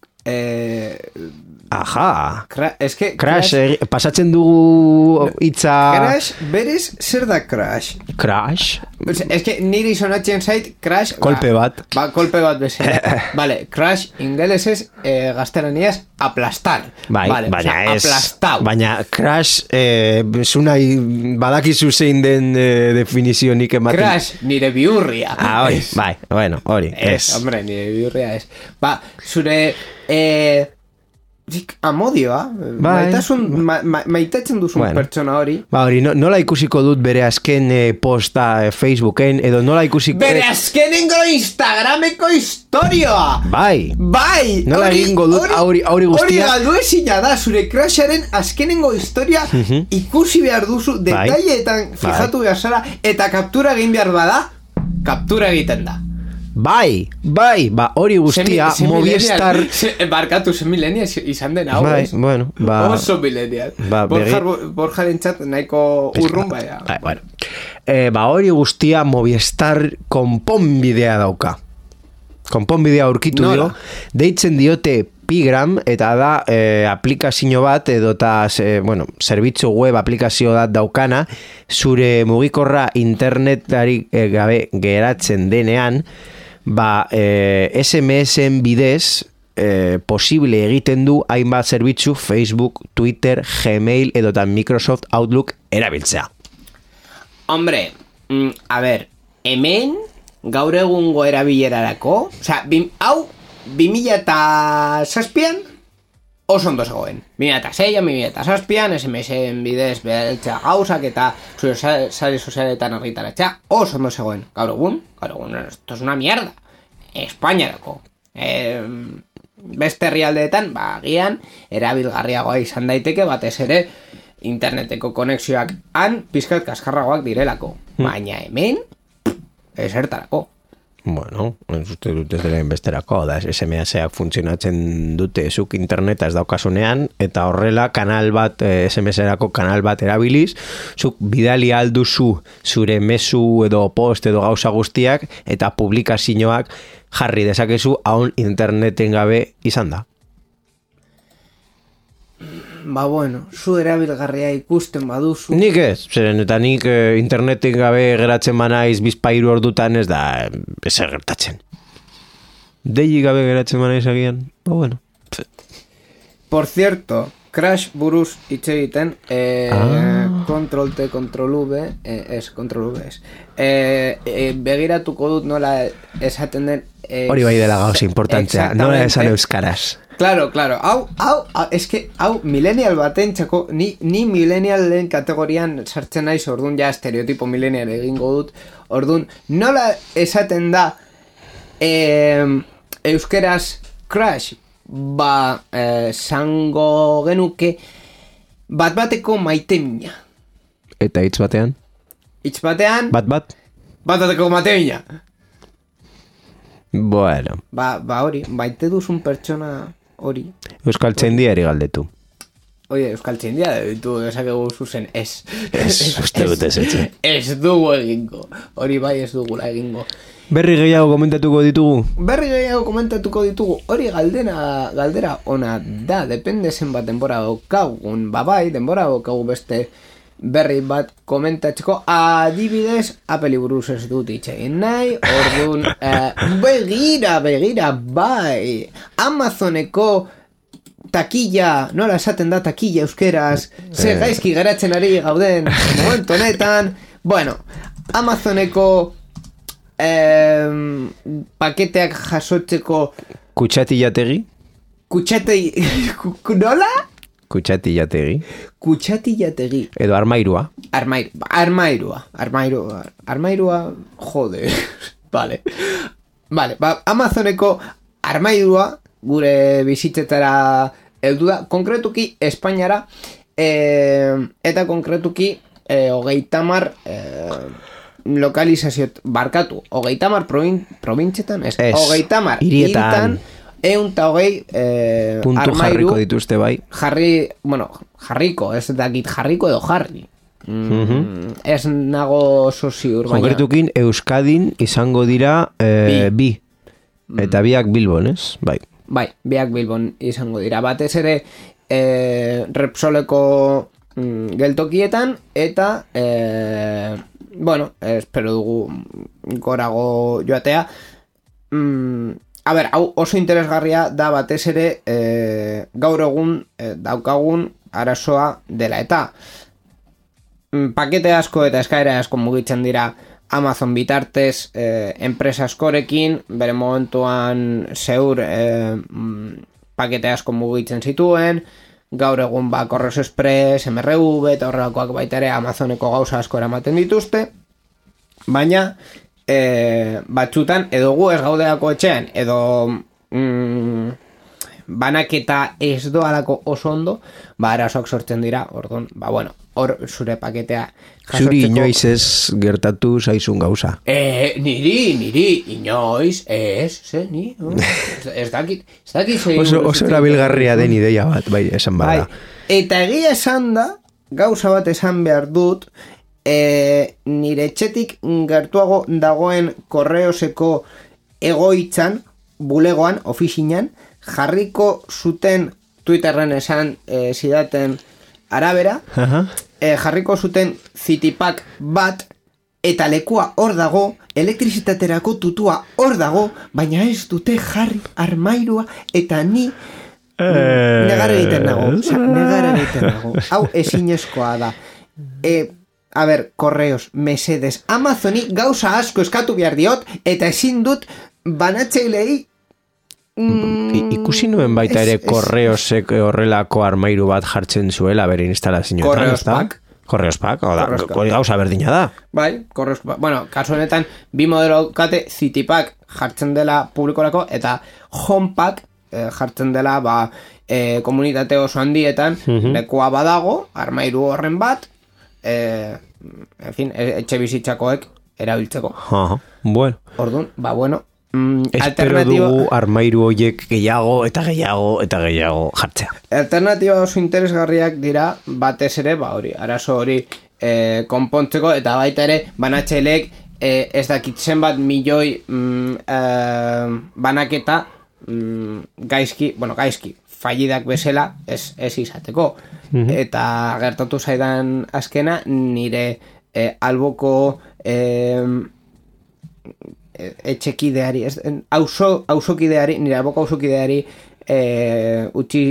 Aja. Crash, pasatzen dugu hitza... Crash, berez, zer da crash? Crash? Niri sonatzen zait, crash... Kolpe bat. Kolpe bat bezala. Vale, crash, ingelesez, gaztelaniaz, aplastar. Baina crash, zunai badakizu zein den definizio nik ematen. Crash, nire bihurria. Hori, bai, bueno, hori. Hombre, nire bihurria ez. Zure... Amodioa, maitatzen duzun pertsona hori. Ba hori, nola ikusiko dut bere azken posta Facebooken, edo nola ikusiko... Bere azkenengo Instagrameko historioa! Bai! Nola egingo dut hori guztia... Hori galdu ezina da, zure crasharen azkenengo historia ikusi behar duzu, detaileetan fijatu behar zara, eta kaptura egin behar bada, kaptura egiten da. Bai, hori guztia Movistar... Barkatu, zen milenia izan den hau, ez? Bueno, oso milenia. Borjaren txat nahiko urrun baina. Bueno. Hori guztia Movistar konponbidea dauka. Konponbidea aurkitu dio. Deitzen diote Pigram, eta da aplikazio bat, edota, zerbitzu web aplikazio bat daukana, zure mugikorra internetari gabe geratzen denean, SMS-en bidez posible egiten du hainbat zerbitzu Facebook, Twitter, Gmail edota Microsoft Outlook erabiltzea. Hombre, a ver, hemen gaur egungo erabilerarako, hau 2007an oso ondo zegoen. 2006an, 2007an, SMS-en bidez beheltzea gauzak eta zure sare sozialetan argitaratzea oso ondo zegoen. Gaur egun, esto es una mierda. Espainiarako. Beste herrialdeetan, agian, erabilgarriagoa izan daiteke, batez ere, interneteko konexioak pizkat kaskarragoak direlako. Baina hemen, esertarako. Bueno, uste dut ez dela inbesterako, da SMS-ak funtzionatzen dute zuk interneta ez daukasunean, eta horrela kanal bat, SMS-erako kanal bat erabiliz, zuk bidali alduzu zure mezu edo post edo gauza guztiak, eta publikazioak jarri dezakezu haun interneten gabe izan da. Zu erabilgarria ikusten baduzu. Nik ez, zeren eta nik interneten gabe geratzen banaiz bizpairu ordutan ez da ezer gertatzen. Deili gabe geratzen banaiz agian, Por cierto, Crash buruz hitz egiten, Control T, Control V, Control V es. Begiratuko dut nola esaten den... Hori bai dela gauza importantzea, nola esan euskaraz. Claro, hau millennial baten txako, ni millennialen kategorian sartzen naiz, ordun ja estereotipo millennial egingo dut, ordun nola esaten da euskeraz crash, zango genuke bat-bateko maite-mina. Eta hitz batean? Hitz batean? Bat-bateko maite-mina. Bueno. Hori, maite duzun pertsona... hori. Euskaltzaindiari galdetu. Oie, Euskaltzaindia ditu esakegu zuzen, ez. Uste dut ez etxe. Ez dugu egingo. Hori bai ez dugula egingo. Berri gehiago komentatuko ditugu? Hori galdera ona da, depende zenbat denbora daukagun. Bai, denbora daukagu beste berri bat komentatzeko, adibidez Apple buruz ez dut itxegin nahi, orduan begira, bai Amazoneko takilla, nola esaten da takilla euskeraz, zer gaizki geratzen ari gauden momentu honetan, Amazoneko paketeak jasotzeko kutxatillategi? Nola? Kutxatillategi. Edo armairua. Armairua, jode. Vale, Amazoneko armairua gure bizitzetara heldu da, konkretuki Espainiara, eta konkretuki 30 lokalizazio, barkatu, 30 probintzetan, ez, 30 hirietan, 120 puntu armairu jarriko dituzte bai. Jarriko, ez dakit jarriko edo jarri. Ez nago ziur, baina... Konkretukin Euskadin izango dira bi. Eta biak Bilbon, ez? Bai, biak Bilbon izango dira. Batez ere Repsoleko geltokietan eta espero dugu gorago joatea. Hau oso interesgarria da batez ere gaur egun daukagun arazoa dela eta pakete asko eta eskaera asko mugitzen dira Amazon bitartez enpresa askorekin, bere momentuan zeur pakete asko mugitzen zituen, gaur egun Correos Express, MRV eta horrelakoak baita ere Amazoneko gauza asko eramaten dituzte, baina batzutan edo gu ez gaudeako etxean edo banaketa ez doalako oso ondo, arazoak sortzen dira, orduan, bueno, hor zure paketea jasotzeko. Zuri inoiz ez gertatu zaizun gauza. Niri, inoiz, ni, ez dakit oso erabilgarria den ideia bat, bai, esan bada. Eta egia esan da, gauza bat esan behar dut, nire etxetik gertuago dagoen Correoseko egoitzan, bulegoan, ofizinan, jarriko zuten Twitterren esan zidaten arabera, jarriko zuten Citypack bat, eta lekua hor dago, elektrizitaterako tutua hor dago, baina ez dute jarri armairua, eta ni negar egiten nago. Hau ezinezkoa da. A ber, Correos, mesedes, Amazoni gauza asko eskatu behar diot, eta ezin dut banatzeilei ikusi nuen baita ere Correosek horrelako armairu bat jartzen zuela bere instalazioetan. Correos Pack, gauza berdina da. Bai, Correos Pack. Bueno, kasu honetan, bi modelo kate, Citypack jartzen dela publikorako, eta Homepack jartzen dela komunitate oso handietan, lekua badago, armairu horren bat, en fin, etxe bizitzakoek erabiltzeko. Bueno. Orduan, bueno, espero dugu armairu horiek gehiago jartzea. Alternatiba oso interesgarriak dira, batez ere, arazo hori konpontzeko, eta baita ere, banatzaileek ez dakit zenbat milioi banaketa gaizki, fallidak bezala ez izateko. Eta gertatu zaidan azkena, nire alboko etxekideari, nire alboko auzokideari utzi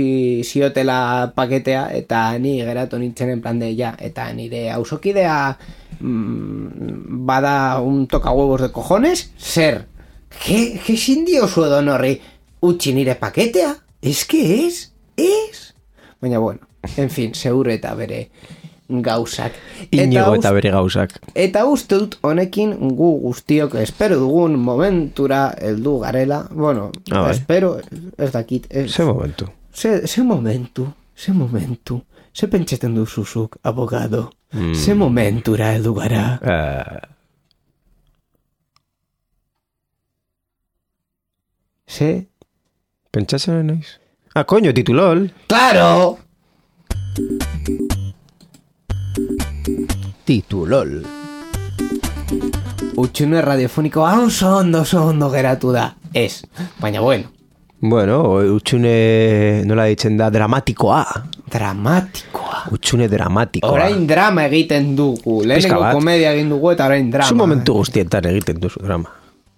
ziotela paketea, eta ni geratu nintzen en plan de ja, eta nire auzokidea bada un tocahuevos de cojones, zer? ¿Qué sindio suedo horri utzi nire paketea? Es que es. Baina bueno, en fin, segure eta bere gauzak. Inigo eta bere gauzak. Eta uste dut honekin gu guztiok espero dugun momentura heldu garela. Bueno, espero, ez dakit. Ze momentu? Ze momentu. Ze pentseten duzuzuk, abogado. Ze momentura heldu gara. Ze? Pentsatzen naiz? Coño, titulol. ¡Claro! Titulol. Utxune radiofonikoa oso ondo geratu da. Ez, baina bueno. Bueno, utxune nola ditzen da dramatikoa. Utxune dramatikoa. Orain drama egiten dugu. Lehenengo komedia egin dugu eta orain drama. Zu momentu guztietan egiten duzu drama.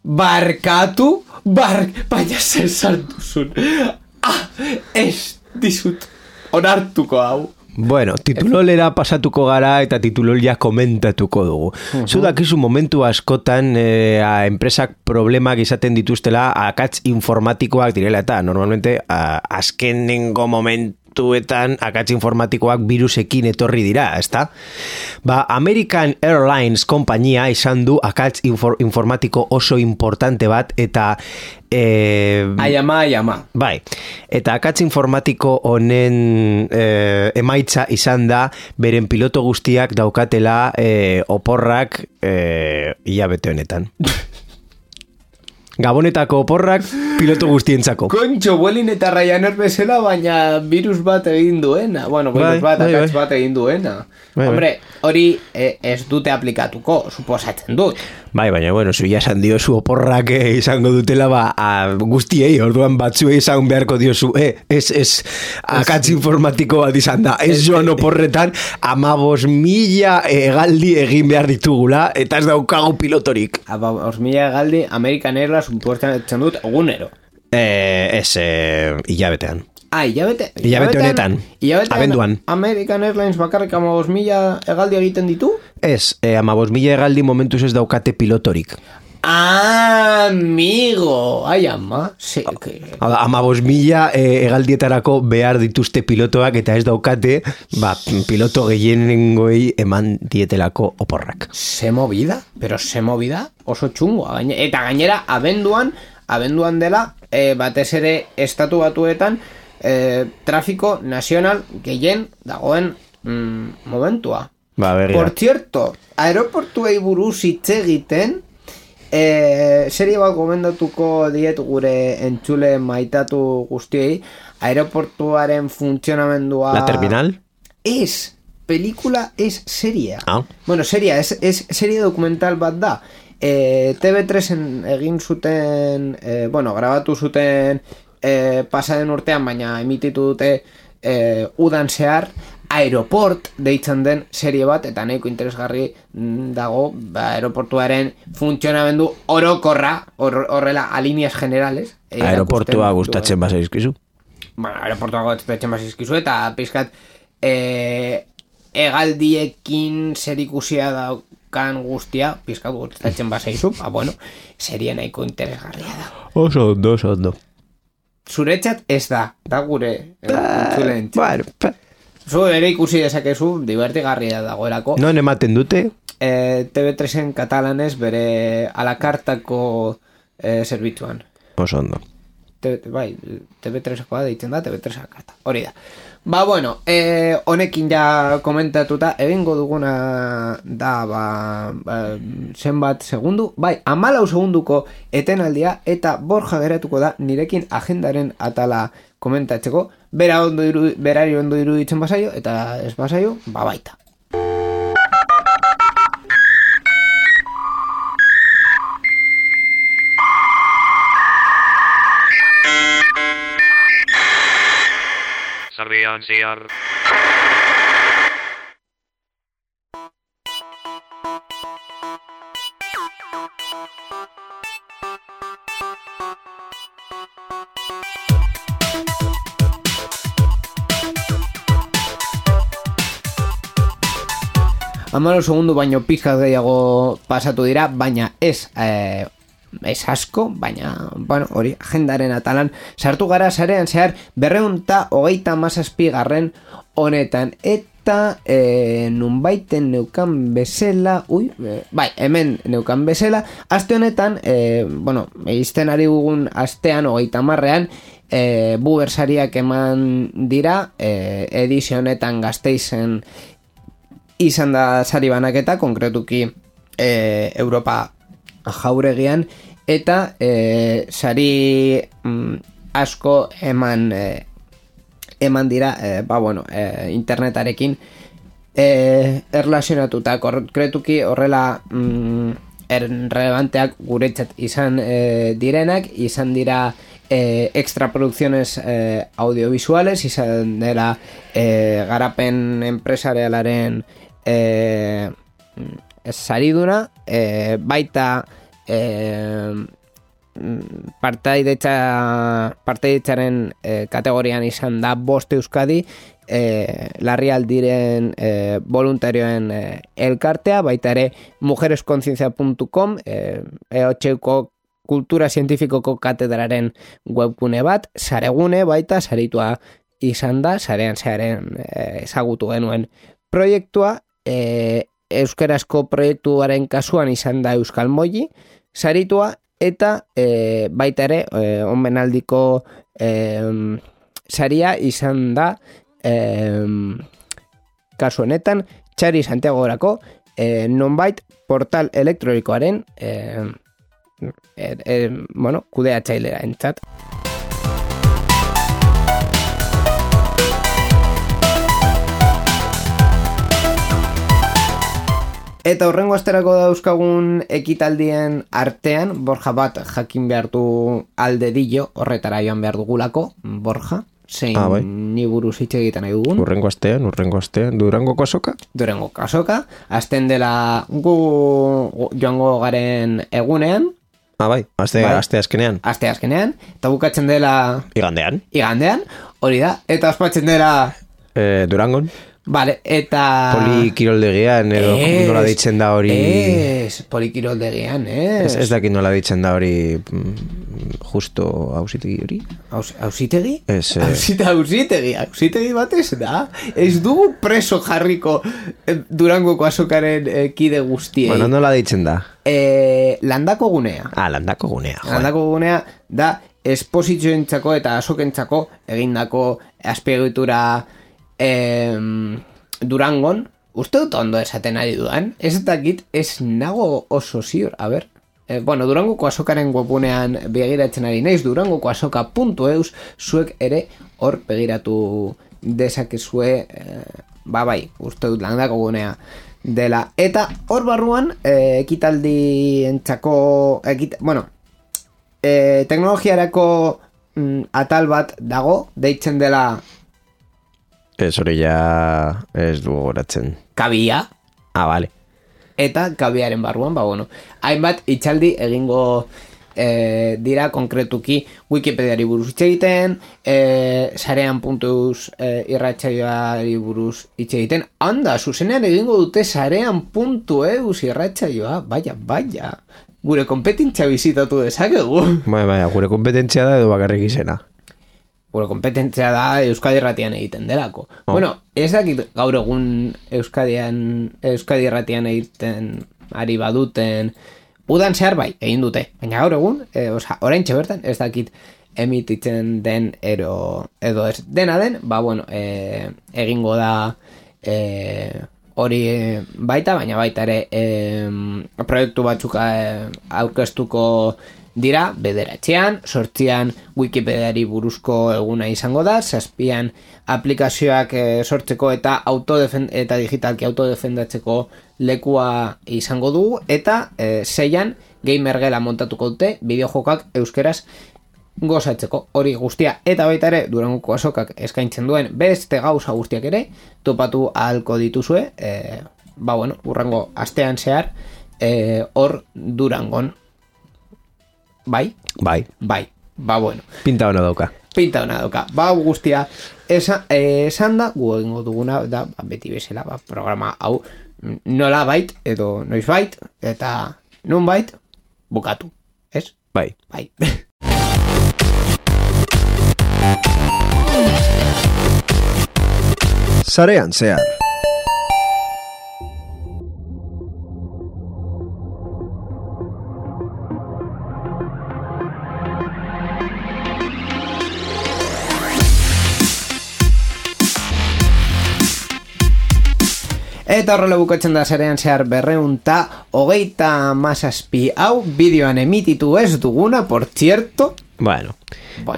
Barkatu, baina zer sartuzun. Ez dizut onartuko hau. Bueno, titulolera pasatuko gara eta titulol ja komentatuko dugu. Zu dakizu momentu askotan enpresak problemak izaten dituztela akats informatikoak direla eta normalmente azkenengo momentuetan akats informatikoak virusekin etorri dira, ezta? American Airlines kompainia izan du akats informatiko oso importante bat eta Ayama. Bai, eta akats informatiko honen emaitza izan da beren piloto guztiak daukatela oporrak hilabete honetan. Gabonetako oporrak piloto guztientzako. Kontxo, Vueling eta Ryanair bezala, baina virus bat egin duena. Bueno, akats bat egin duena. Hombre, hori ez dute aplikatuko, suposatzen dut. Bai, baina, bueno, zu esan diozu oporrak izango dutela, guztiei, orduan batzuei izan beharko diozu, ez akats informatiko bat izan da, ez joan oporretan 15.000 hegaldi egin behar ditugula, eta ez daukagu pilotorik. 15.000 hegaldi, American Airlines suposatzen dut egunero. Ez, hilabetean. Hilabete honetan, abenduan. American Airlines bakarrik 15.000 hegaldi egiten ditu? Ez, 15.000 hegaldi momentuz ez daukate pilotorik. Amigo, ai ama. Sí, que... 15.000 hegaldietarako behar dituzte pilotoak eta ez daukate, piloto gehienengoei eman dietelako oporrak. Se movida, pero se movida oso txungoa. Eta gainera, abenduan dela, batez ere estatu batuetan, trafiko nazional gehien dagoen momentua. Por cierto, aeroportuei buruz hitz egiten, serie bat gomendatuko diet gure entzule maitatu guztiei, aeroportuaren funtzionamendua... La terminal? Es, pelikula es seria. Ah. Bueno, seria, es serie documental bat da. TV3en egin zuten, grabatu zuten pasaden urtean, baina emititu dute udan zehar, Aeroport deitzen den serie bat, eta nahiko interesgarri dago aeroportuaren funtzionamendu orokorra, horrela, alineas generales. Aeroportua gustatzen bazaizkizu? Bueno, aeroportua gustatzen bazaizkizu, eta pizkat hegaldiekin zerikusia daukan guztia, pizkat gustatzen bazaizu, serie nahiko interesgarria da. Oso ondo. Zuretzat ez da gure entzulen. Zu ere ikusi dezakezu, divertigarria dagoelako. Non ematen dute? TV3en katalanez bere alakartako zerbitzuan. Oso ondo. TV3koa deitzen da, TV3 alakarta. Hori da. Honekin ja komentatuta, egingo duguna da, zenbat segundu? 14 segunduko etenaldia, eta Borja geratuko da nirekin agendaren atala komentatzeko, berari ondo iruditzen bazaio, eta ez bazaio, baita. Sarrian zehar. Amaro segundu baino pizkat gehiago pasatu dira, baina ez asko, baina, hori, agendaren atalan sartu gara sarean zehar 227 honetan, eta nunbaiten neukan bezala, hemen neukan bezala, aste honetan, izten ari gugun astean, 30ean, bubersariak eman dira, edizio honetan Gasteizen izan da sari banaketa, konkretuki Europa jauregian, eta sari asko eman dira internetarekin erlazionatuta, konkretuki horrela relevanteak guretzat izan direnak, izan dira extraprodukziones audiovisuales, izan dela garapen enpresarialaren sariduna, baita partaidetzaren kategorian izan da 5 Euskadi, larrialdiren voluntarioen elkartea, baita ere mujeresconciencia.com, EHUko kultura zientifikoko katedraren webgune bat, saregune baita, saritua izan da, sarean zearen ezagutu genuen proiektua, euskarazko proiektuaren kasuan izan da Euskal Moji, saritua, eta baita ere omenaldiko saria izan da kasu honetan Txari Santiagorako nonbait portal elektronikoaren kudeatzailera entzat. Eta horrengo asterako dauzkagun ekitaldien artean, Borja bat jakin behar du aldedillo, horretara joan behar dugulako, Borja, zein ni buruz hitz egiten nahi dugun. Urrengo astean, Durango kasoka? Durango kasoka, azten dela gu joango garen egunean. Aste azkenean. Aste azkenean, eta bukatzen dela... Igandean, hori da, eta ospatzen dela... Durangon. Vale, eta... Polikiroldegian, edo nola ditzen da hori... Polikiroldegian, ez. Ez dakit nola ditzen da hori justo hausitegi hori. Hausitegi? Ez... Hausitegi batez da. Ez dugu preso jarriko Durangoko azokaren kide guztiei. Bueno, nola ditzen da? Landako gunea. Landako gunea. Landako gunea da esposizioentzako eta azokentzako egindako azpiegitura Durangon. Uste dut ondo esaten ari dudan. Ez dakit, ez nago oso ziur. A ber, bueno, Durangoko azokaren webgunean begiratzen ari naiz, durangokoazoka.eus, zuek ere hor begiratu dezakezue, bai, uste dut landako gunea dela. Eta hor barruan, ekitaldientzako, teknologiarako atal bat dago, deitzen dela... Ez hori ja ez dugu goratzen. Kabia. Vale. Eta kabiaren barruan, bueno, hainbat itxaldi egingo dira konkretuki Wikipediari buruz hitz egiten, sarean.eus irratsaioari buruz hitz egiten. Anda, zuzenean egingo dute sarean.eus irratsaioa, baina. Gure kompetentzia bizitatu dezakegu. Baina, gure kompetentzia da edo bakarrik izena. Gure kompetentzia da Euskadi Irratian egiten delako. Bueno, ez dakit gaur egun Euskadi Irratian egiten ari baduten, udan zehar bai, egin dute. Baina gaur egun, oraintxe bertan, ez dakit emititzen den edo ez dena den, bueno, egingo da hori baita, baina baita ere proiektu batzuk aurkeztuko dira, 9, 8 Wikipediari buruzko eguna izango da, 7 aplikazioak sortzeko eta eta digitalki autodefendatzeko lekua izango dugu, eta 6 gamergela montatuko dute, bideojokak euskeraz gozatzeko, hori guztia, eta baita ere Durangoko azokak eskaintzen duen beste gauza guztiak ere topatu ahalko dituzue, bueno, urrengo astean zehar hor Durangon. Bai? Bai. Bueno. Pinta ona dauka. Guztia esan da, gu egingo duguna da, beti bezala, programa hau nola bait, edo noiz bait, eta nun bait, bukatu. Ez? Bai. Sarean zehar. Eta horrela bukatzen da sarean zehar 227 hau bideoan emititu ez duguna, por cierto. Bueno,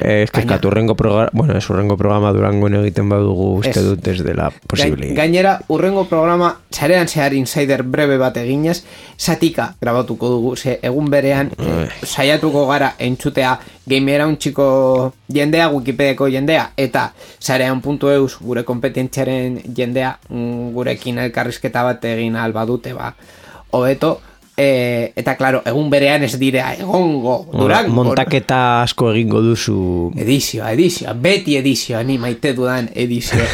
es que urrengo programa, bueno, es urrengo programa Durangon egiten badugu uste dut ez dela posible. Gainera, urrengo programa sarean zehar insider breve bat eginez, satika grabatuko dugu, ze egun berean saiatuko gara entzutea gamera untxiko jendea, Wikipediako jendea, eta sarean.eus gure kompetentziaren jendea gurekin elkarrizketa bat egin albadute, hobeto. Eta claro, egun berean ez direa egongo Durango. Montaketa asko egingo duzu. Edizioa, beti edizioa, ni maite dudan edizioa.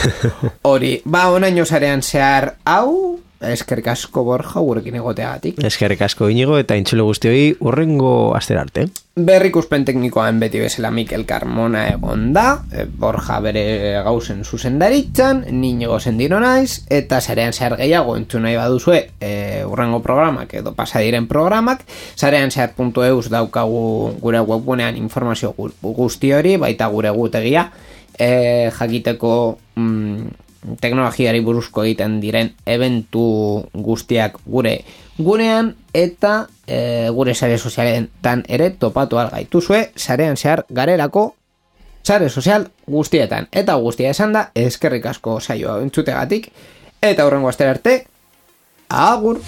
Hori, onaino sarean zehar hau, eskerrik asko Borja gurekin egoteagatik. Eskerrik asko Inigo eta intzulo guztioi urrengo astera arte. Berrikuspen teknikoan beti bezala Mikel Carmona egon da, Borja bere gauzen zuzendaritzan, ni Inigo Sendino naiz, eta sarean zehar gehiago entzun nahi baduzue urrengo programak edo pasadiren programak, sareanzehar.eus daukagu gure webgunean informazio guzti hori, baita gure gutegia, jakiteko teknologiari buruzko egiten diren eventu guztiak gure gunean, eta gure sare sozialetan ere topatu algaituzue, sarean zehar garelako sare sozial guztietan. Eta guztia esan da, eskerrik asko saioa entzutegatik, eta hurrengo astera arte, agur!